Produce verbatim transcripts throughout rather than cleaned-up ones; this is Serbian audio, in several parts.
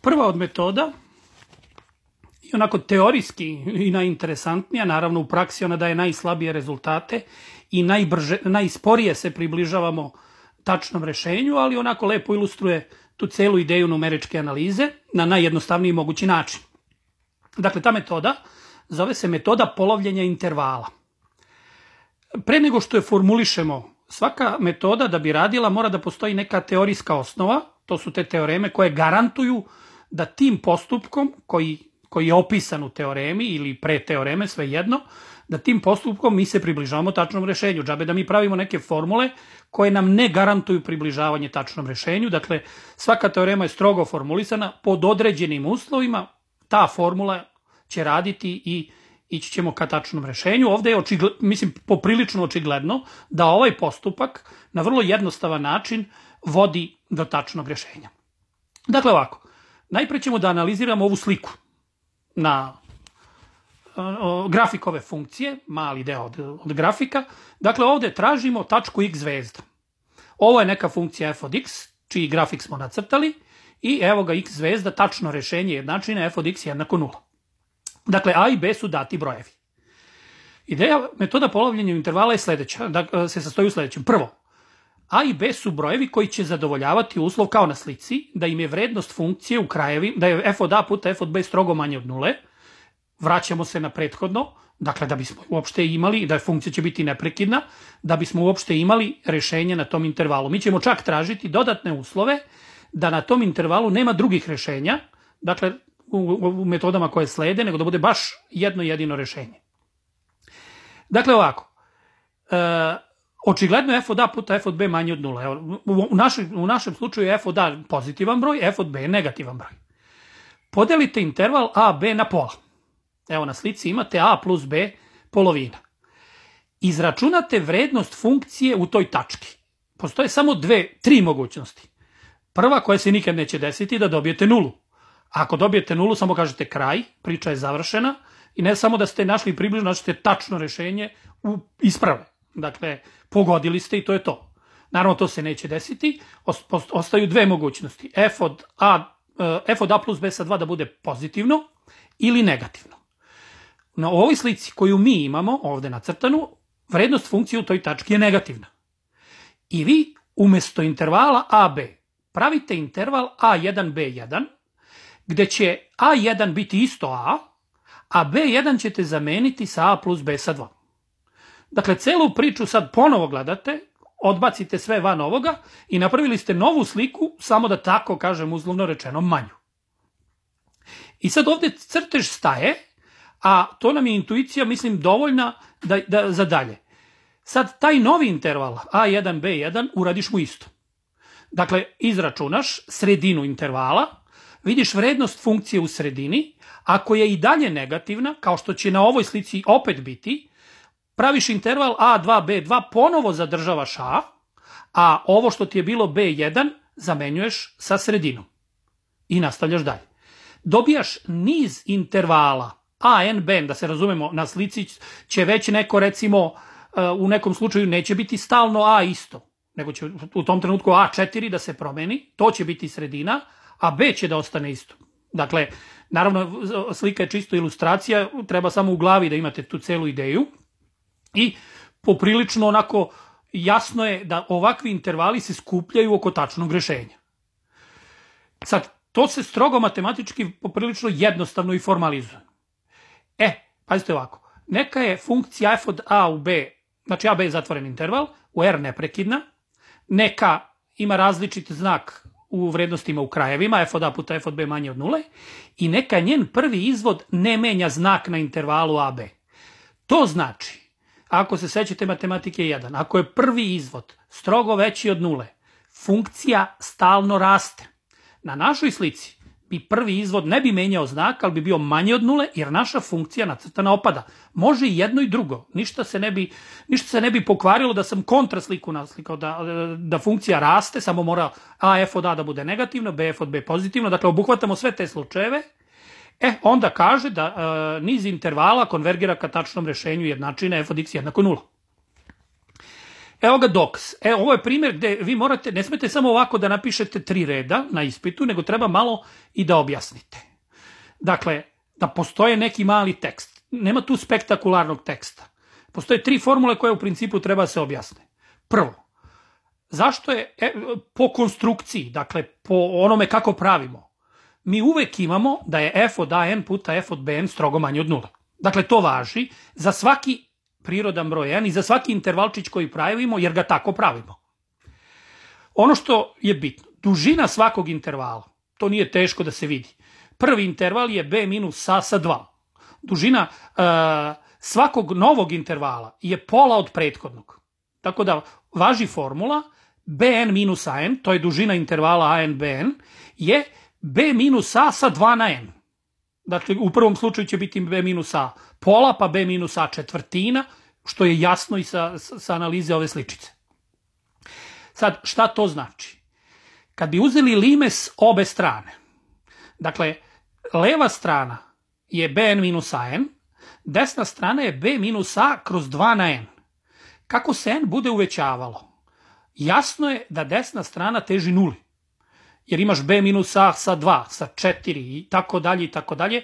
Prva od metoda i onako teorijski i najinteresantnija, naravno u praksi ona daje najslabije rezultate i najbrže, najsporije se približavamo tačnom rešenju, ali onako lepo ilustruje tu celu ideju numeričke analize na najjednostavniji mogući način. Dakle, ta metoda zove se metoda polovljenja intervala. Pre nego što je formulišemo, svaka metoda da bi radila mora da postoji neka teorijska osnova, to su te teoreme koje garantuju da tim postupkom koji, koji je opisan u teoremi ili pre teoreme, svejedno, da tim postupkom mi se približavamo tačnom rešenju. Džabe da mi pravimo neke formule koje nam ne garantuju približavanje tačnom rešenju. Dakle, svaka teorema je strogo formulisana pod određenim uslovima, ta formula će raditi i ići ćemo ka tačnom rešenju. Ovde je, očigled, mislim, poprilično očigledno da ovaj postupak na vrlo jednostavan način vodi do tačnog rešenja. Dakle, ovako, najpre ćemo da analiziramo ovu sliku na uh, grafik ove funkcije, mali deo od, od grafika. Dakle, ovde tražimo tačku x zvezda. Ovo je neka funkcija f od x, čiji grafik smo nacrtali, i evo ga x zvezda, tačno rešenje jednačine f od x jednako nula. Dakle, a i b su dati brojevi. Ideja metoda polovljenja intervala je sledeća, da se sastoji u sledećem. Prvo, a i b su brojevi koji će zadovoljavati uslov kao na slici, da im je vrednost funkcije u krajevi, da je f od a puta f od b strogo manje od nule. Vraćamo se na prethodno, dakle da bismo uopšte imali, da funkcija će biti neprekidna, da bismo uopšte imali rešenje na tom intervalu. Mi ćemo čak tražiti dodatne uslove da na tom intervalu nema drugih rešenja, dakle u metodama koje slede, nego da bude baš jedno jedino rešenje. Dakle, ovako, e, očigledno je f od a puta f od b manje od nula. Evo, u, našem, u našem slučaju je f od a pozitivan broj, f od b je negativan broj. Podelite interval a b na pola. Evo, na slici imate a plus b polovina. Izračunate vrednost funkcije u toj tački. Postoje samo dve, tri mogućnosti. Prva, koja se nikad neće desiti, da dobijete nulu. Ako dobijete nulu, samo kažete kraj, priča je završena i ne samo da ste našli približno, znači ste tačno rešenje u isprave. Dakle, pogodili ste i to je to. Naravno, to se neće desiti. Ostaju dve mogućnosti. F od a, f od a plus b sa dva da bude pozitivno ili negativno. Na ovoj slici koju mi imamo, ovde nacrtanu, vrednost funkcije u toj tački je negativna. I vi umesto intervala a b pravite interval a jedan b jedan, gde će a jedan biti isto a, a b jedan ćete zameniti sa a plus b sa dva. Dakle, celu priču sad ponovo gledate, odbacite sve van ovoga i napravili ste novu sliku, samo da tako kažem uzlovno rečeno manju. I sad ovde crtež staje, a to nam je intuicija, mislim, dovoljna da, da, za dalje. Sad taj novi interval a jedan b jedan uradiš mu isto. Dakle, izračunaš sredinu intervala, vidiš vrednost funkcije u sredini, ako je i dalje negativna, kao što će na ovoj slici opet biti, praviš interval a dva b dva, ponovo zadržavaš a, a ovo što ti je bilo b jedan zamenjuješ sa sredinom i nastavljaš dalje. Dobijaš niz intervala a n b n, da se razumemo, na slici će već neko, recimo, u nekom slučaju neće biti stalno a isto, nego će u tom trenutku a četiri da se promeni, to će biti sredina, a b će da ostane isto. Dakle, naravno, slika je čisto ilustracija, treba samo u glavi da imate tu celu ideju i poprilično onako jasno je da ovakvi intervali se skupljaju oko tačnog rešenja. Sad, to se strogo matematički poprilično jednostavno i formalizuje. E, pazite ovako, neka je funkcija f od a u b, znači a b je zatvoren interval, u r neprekidna, neka ima različit znak u vrednostima u krajevima, f od a puta f od b manje od nule, i neka njen prvi izvod ne menja znak na intervalu a b. To znači, ako se sećate matematike jedan, ako je prvi izvod strogo veći od nule, funkcija stalno raste. Na našoj slici bi prvi izvod ne bi menjao znak, ali bi bio manji od nule, jer naša funkcija nacrtana opada. Može i jedno i drugo. Ništa se ne bi, ništa se ne bi pokvarilo da sam kontrasliku naslikao, da, da funkcija raste, samo mora a f od a da bude negativno, b f od b pozitivno. Dakle, obuhvatamo sve te slučajeve. E, onda kaže da e, niz intervala konvergira ka tačnom rešenju jednačine f od x jednako nula. Evo ga dokaz. E, ovo je primjer gde vi morate, ne smete samo ovako da napišete tri reda na ispitu, nego treba malo i da objasnite. Dakle, da postoje neki mali tekst. Nema tu spektakularnog teksta. Postoje tri formule koje u principu treba se objasne. Prvo, zašto je e, po konstrukciji, dakle po onome kako pravimo, mi uvek imamo da je f od an puta f od bn strogo manje od nula. Dakle, to važi za svaki prirodan broj n i za svaki intervalčić koji pravimo, jer ga tako pravimo. Ono što je bitno, dužina svakog intervala, to nije teško da se vidi. Prvi interval je b minus a sa dva. Dužina uh, svakog novog intervala je pola od prethodnog. Tako da važi formula bn minus an, to je dužina intervala an bn, je b minus a sa dva na n. Dakle, u prvom slučaju će biti b minus a pola, pa b minus a četvrtina, što je jasno i sa, sa analize ove sličice. Sad, šta to znači? Kad bi uzeli limes obe strane, dakle, leva strana je bn minus an, desna strana je b minus a kroz dva na n. Kako se n bude uvećavalo? Jasno je da desna strana teži nuli. Jer imaš b minus a sa dva, sa četiri i tako dalje i tako dalje.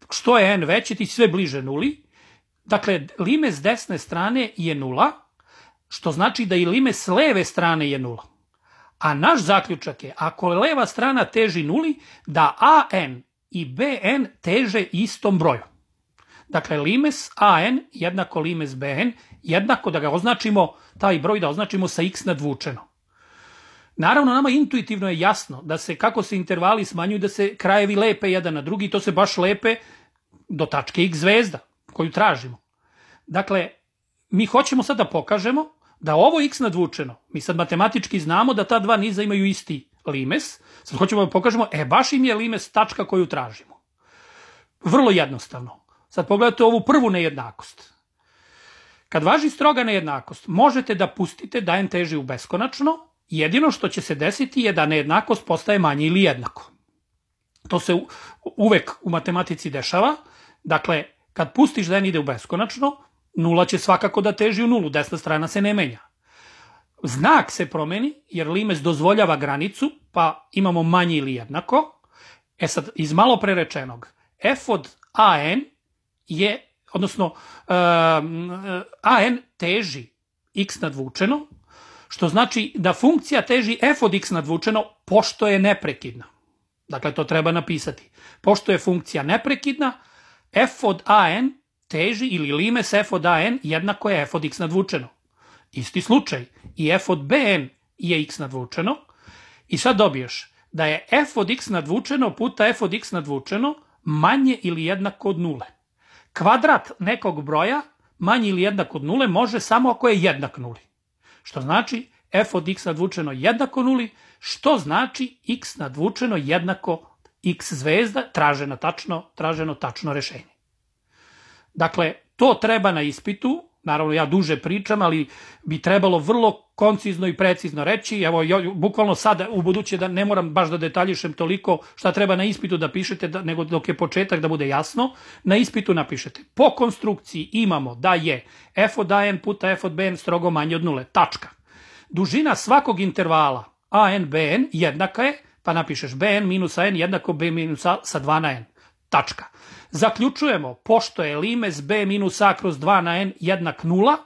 Što je n veći, ti sve bliže nuli. Dakle, limes desne strane je nula, što znači da i limes leve strane je nula. A naš zaključak je, ako leva strana teži nuli, da an i bn teže istom broju. Dakle, limes an jednako limes bn, jednako da ga označimo, taj broj da označimo sa x nadvučeno. Naravno, nama intuitivno je jasno da se, kako se intervali smanjuju, da se krajevi lepe jedan na drugi, to se baš lepe do tačke x zvezda, koju tražimo. Dakle, mi hoćemo sad da pokažemo da ovo x nadvučeno, mi sad matematički znamo da ta dva niza imaju isti limes, sad hoćemo da pokažemo, e, baš im je limes tačka koju tražimo. Vrlo jednostavno. Sad pogledajte ovu prvu nejednakost. Kad važi stroga nejednakost, možete da pustite da n teži u beskonačno, jedino što će se desiti je da nejednakost postaje manje ili jednako. To se uvek u matematici dešava. Dakle, kad pustiš da n ide u beskonačno, nula će svakako da teži u nulu, desna strana se ne menja. Znak se promeni, jer limes dozvoljava granicu, pa imamo manje ili jednako. E sad, iz malo prerečenog, f od an je, odnosno, uh, an teži x nadvučeno, što znači da funkcija teži f od x nadvučeno, pošto je neprekidna. Dakle, to treba napisati. Pošto je funkcija neprekidna, f od an teži, ili limes f od an jednako je f od x nadvučeno. Isti slučaj. I f od bn je x nadvučeno. I sad dobiješ da je f od x nadvučeno puta f od x nadvučeno manje ili jednako od nule. Kvadrat nekog broja manje ili jednako od nule može samo ako je jednak nuli. Što znači f od x nadvučeno jednako nuli, što znači x nadvučeno jednako x zvezda, traženo tačno, traženo tačno rešenje. Dakle, to treba na ispitu, naravno ja duže pričam, ali bi trebalo vrlo koncizno i precizno reći. Evo, ja, bukvalno sada, u buduće, da ne moram baš da detaljišem toliko šta treba na ispitu da pišete, da, nego dok je početak da bude jasno, na ispitu napišete. Po konstrukciji imamo da je f od an puta f od bn strogo manje od nule, tačka. Dužina svakog intervala an bn jednaka je, pa napišeš bn minus an jednako b minus a sa dva na n, tačka. Zaključujemo, pošto je limes b minus a kroz dva na n jednak nula,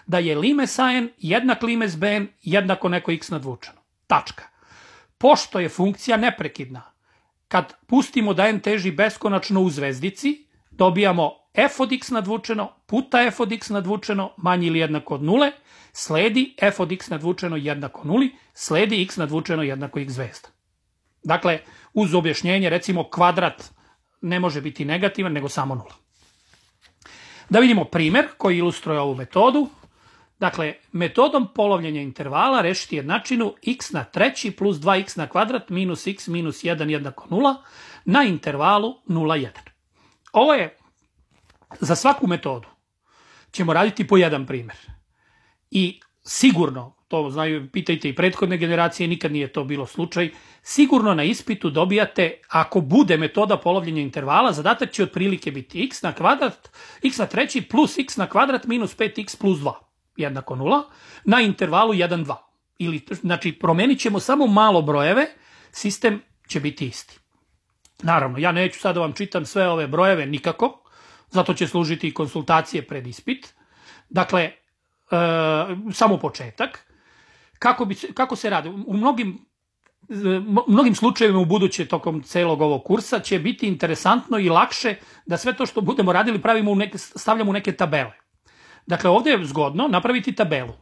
da je limes an jednak limes bn jednako neko x nadvučeno. Tačka. Pošto je funkcija neprekidna, kad pustimo da n teži beskonačno u zvezdici, dobijamo f od x nadvučeno puta f od x nadvučeno manje ili jednako od nule, sledi f od x nadvučeno jednako nuli, sledi x nadvučeno jednako x zvezda. Dakle, uz objašnjenje, recimo kvadrat ne može biti negativan, nego samo nula. Da vidimo primer koji ilustruje ovu metodu. Dakle, metodom polovljenja intervala rešiti jednačinu x na treći plus dva x na kvadrat minus x minus jedan jednako nula na intervalu nula jedan. Ovo je, za svaku metodu ćemo raditi po jedan primer. I sigurno, to znaju, pitajte i prethodne generacije, nikad nije to bilo slučaj, sigurno na ispitu dobijate, ako bude metoda polovljenja intervala, zadatak će otprilike biti x na kvadrat, x na treći plus x na kvadrat minus pet x plus dva. jednako nula, na intervalu jedan, dva. Ili, znači, promenit ćemo samo malo brojeve, sistem će biti isti. Naravno, ja neću sad da vam čitam sve ove brojeve nikako, zato će služiti i konsultacije pred ispit. Dakle, e, samo početak. Kako, bi, kako se radi? U mnogim, mnogim slučajevima u buduće tokom celog ovog kursa će biti interesantno i lakše da sve to što budemo radili pravimo u neke, stavljamo u neke tabele. Dakle, ovdje je zgodno napraviti tabelu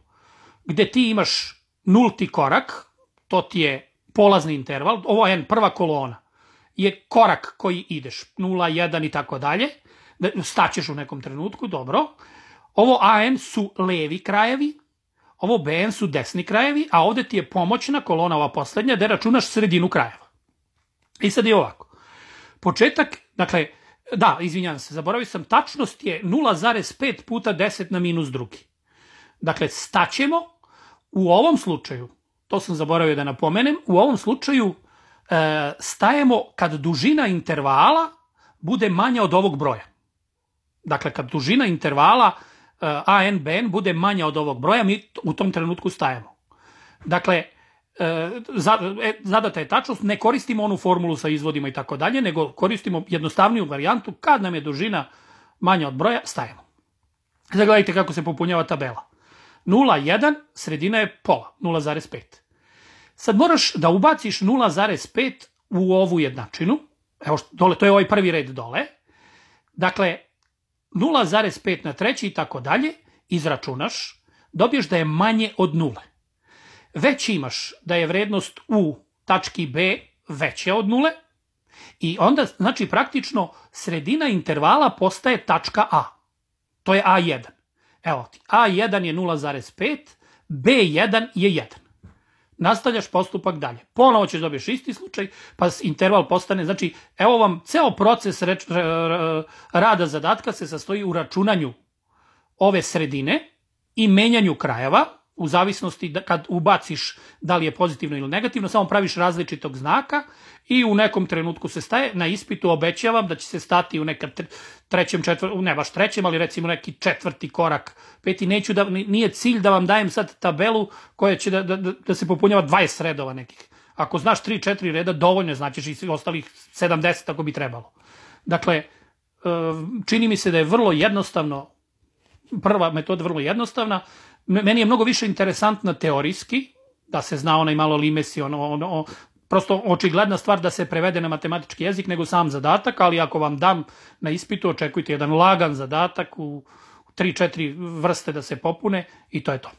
gde ti imaš nulti korak, to ti je polazni interval, ovo je prva kolona, je korak koji ideš, nula, jedan i tako dalje, staćeš u nekom trenutku, dobro. Ovo A N su levi krajevi, ovo B N su desni krajevi, a ovdje ti je pomoćna kolona, ova poslednja, gde računaš sredinu krajeva. I sad je ovako. Početak, dakle, da, izvinjam se, zaboravio sam, tačnost je nula zarez pet puta deset na minus drugi. Dakle, staćemo u ovom slučaju, to sam zaboravio da napomenem, u ovom slučaju e, stajemo kad dužina intervala bude manja od ovog broja. Dakle, kad dužina intervala e, A N B N bude manja od ovog broja, mi u tom trenutku stajemo. Dakle, e, zadata je tačnost, ne koristimo onu formulu sa izvodima i tako dalje, nego koristimo jednostavniju varijantu, kad nam je dužina manja od broja, stajemo. Zagledajte kako se popunjava tabela. nula, jedan, sredina je pola, nula zarez pet. Sad moraš da ubaciš nula zarez pet u ovu jednačinu. Evo, dole, to je ovaj prvi red dole. Dakle, nula zarez pet na treći i tako dalje, izračunaš, dobiješ da je manje od nule. Već imaš da je vrednost u tački B veća od nule i onda, znači, praktično sredina intervala postaje tačka A. To je A jedan. Evo ti, A jedan je nula zarez pet, B jedan je jedan. Nastavljaš postupak dalje. Ponovo ćeš dobiješ isti slučaj, pa interval postane, znači, evo vam, ceo proces reč, rada zadatka se sastoji u računanju ove sredine i menjanju krajeva, u zavisnosti da, kad ubaciš da li je pozitivno ili negativno, samo praviš različitog znaka i u nekom trenutku se staje. Na ispitu obećavam da će se stati u nekom trećem, četvrtom, ne baš trećem, ali recimo neki četvrti korak, peti. Neću da, nije cilj da vam dajem sad tabelu koja će da, da, da se popunjava dvadeset redova nekih. Ako znaš tri četiri reda, dovoljno značiš i ostalih sedamdeset ako bi trebalo. Dakle, čini mi se da je vrlo jednostavno, prva metoda vrlo jednostavna. Meni je mnogo više interesantna teorijski, da se zna onaj malo limesi, ono, ono, prosto očigledna stvar da se prevede na matematički jezik nego sam zadatak, ali ako vam dam na ispitu, očekujte jedan lagan zadatak u tri četiri vrste da se popune i to je to.